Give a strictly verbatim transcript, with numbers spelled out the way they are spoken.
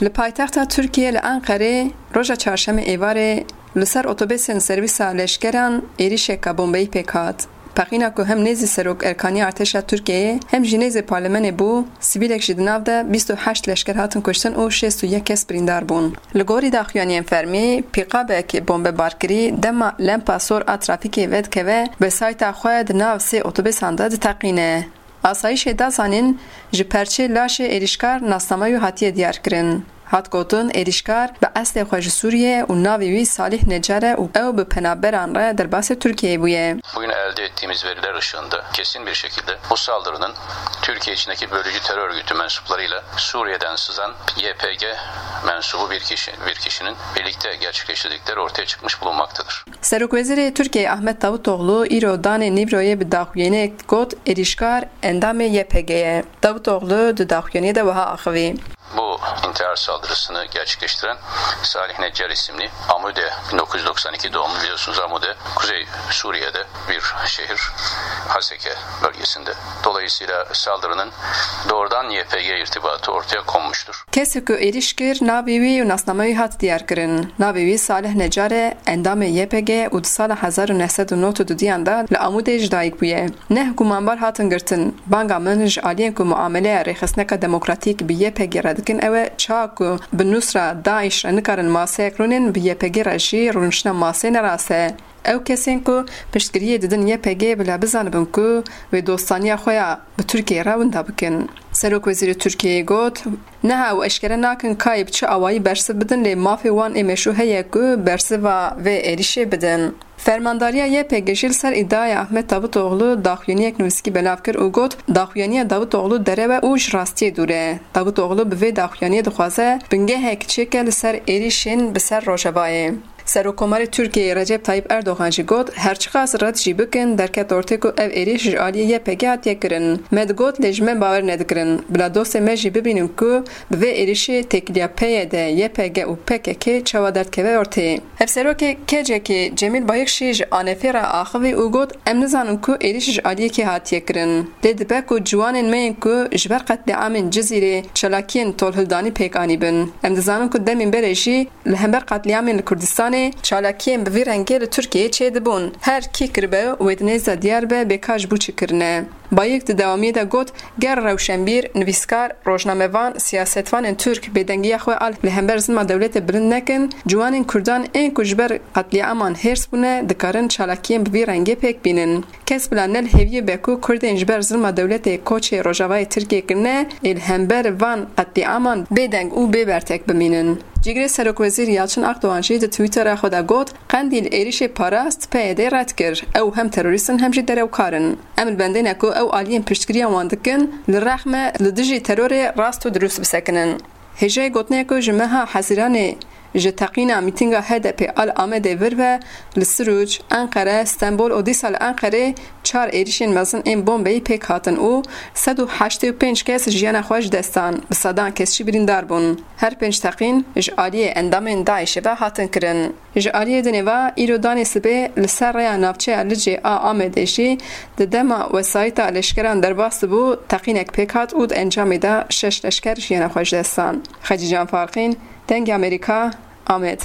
Li paytexta Tirkiyê li Enqerê roja çarşemê êvarê li ser otobusên servîsa leşkeran êrîşeka bombeyî pêk hat. Pexîna ku hem nêzî Serok Erkanî Artêşa Tirkiyeyê hem jî nêzî parlemenê bû, sivîlek jî di nav de bîst û heşt leşker hatin kuştin û şêst û yek kes birîndar bûn. Li gorî daxuyaniyên fermî, pîkabek bombebarkirî dema lempa sor a trafîkê vedikeve, wesayîta xwe di nav sê otobusan de diteqîne. Asayîşê da zanîn, ji perçê laşê êrîşkar nasnameya wî hatiye diyarkirin. Hat gotin, êrîşkar bi eslê xwe ji Sûriyê û navê wî Salih Necar e û ew bi penaberan re derbasê Tirkiyeyê bûye. Bugün elde ettiğimiz veriler ışığında kesin bir şekilde bu saldırının Türkiye içindeki bölücü terör örgütü mensuplarıyla Suriye'den sızan Y P G mensubu bir kişi, bir kişinin birlikte gerçekleştirdikleri ortaya çıkmış bulunmaktadır. Serokwezîrê Tirkiyeyê Ahmet Davutoğlu îro danê Nîvroyê bi daxuyaniyek got, êrîşkar endamê Y P G ye. Davutoğlu di daxuyaniyê de wiha axivî. Bu intihar saldırısını gerçekleştiren Salih Necar isimli Amude, bin dokuz yüz doksan iki doğumlu, biliyorsunuz Amude Kuzey Suriye'de bir şehir, Haseke bölgesinde. Dolayısıyla saldırının doğrudan Y P G irtibatı ortaya konmuştur. Kesê ku êrîş kir, navê wî û nasnameya wî hat diyarkirin. Navê wî Salih Necar e, endamê Y P G û di sala hezar û neh sed û nod û duduyan de li Amûdê ji dayik bûye. Neh gumanbar hatin girtin. Banga min ji aliyên ku muameleya rêxistineka demokratîk bi Y P G re dikin ew e, çawa ku bi Nusra, DAIŞ re nikarin maseyek rûnin, bi Y P G re jî rûniştina masê ne rast e. Ew kesên ku piştgiriyê didin Y P G bila bizanibin ku wê dostaniya xwe ya bi Tirkiyeyê re winda bikin. Serokwezîrê Tirkiyeyê got, niha ew eşkere nakin kayê bi çi awayî bersiv bidin, lê mafê wan ê meşrû heye ku bersiva vê êrîşê bidin. Fermandariya Y P G jî li ser îdiaya Ahmet Davutoğlu daxuyaniyek nivîskî belav kir û got, daxuyaniya Davutoğlu derew e û ji rastiyê dûr e. Davutoğlu bi vê daxuyaniyê dixwaze bingehek çêke li ser êrîşên bi ser Rojavayê. Serokkomarê Tirkiyeyê Recep Tayyip Erdogan jî got, her çiqas red jî bikin, derket ortê ku ev êrîş ji aliyê Y P G hatiye kirin. Me digot, lê ji me bawer nedikirin. Bila dostê me jî bibînin ku bi vê êrîşê têkiliya P Y D, Y P G û P K K çawa derdikeve ortê. Hevserokê K C K Cemîl Bayik jî ji A N F re axivî û got, em nizanin ku êrîş ji aliyê kê hatiye kirin. Lê dibe ku ciwanên me yên ku ji ber qetlîamên Cizîrê çalakiyên tolhildanî pêk anîbin. Em dizanin ku demên berê jî li hember qetlîamên li Kurdistanê çalakiyên bi vî rengê li Tirkiyeyê çêdibûn. Her kî kiribe wê di nêz de diyar be bê ka ji bo çi kirine. Bayik di dewamiyê de got, ger rewşenbîr, nivîskar, rojnamevan, siyasetvanên Tirk bêdengiya xwe a li hember zilma dewletê bilind nekin, ciwanên Kurdan ên ku ji ber qetlîaman hêrs bûne, dikarin çalakiyên bi vî rengê pêk bînin. Kes bila ne li hêviyê be ku Kurdên ji ber zilma dewletê koçê Rojavayê Tirkiyê kirine, ê li hember van qetlîaman bêdeng û bê bertek bimînin. Cîgirê Serokwezîr Yalçın Akdoğan jî di Twitterê xwe de got, Qendîl êrîşê parast, P Y D red kir. Ew hem terorîst in hem jî derewkar in. Em li bendê ne ku ew aliyên piştgiriya wan dikin, li rex me li dijî terorê rast û dirust bisekinin. Hêjayê gotinê ku ji meha Hezîranê ji teqîna mîtînga H D P a li Amedê vir ve li Sirûc, Enqere, Stenbol û dîsa li Enqerê çar êrîşên mezin ên bombeyî pêk hatin û sed û heştê û pênc kes jiyana xwe ji dest dan, bi sedan kes jî birîndar bûn. Her pênc teqîn ji aliyê endamên DAIŞê ve hatin kirin. Ji aliyê dinê ve, îro danê sibê li ser rêya navçeya Licê a Amedê jî di dema wesayîta leşkeran derbas dibû, teqînek pêk hat û di encamê de şeş leşker jiyana xwe ji dest dan. Xecîcan Farqîn, Dengê Amerîka, Amed.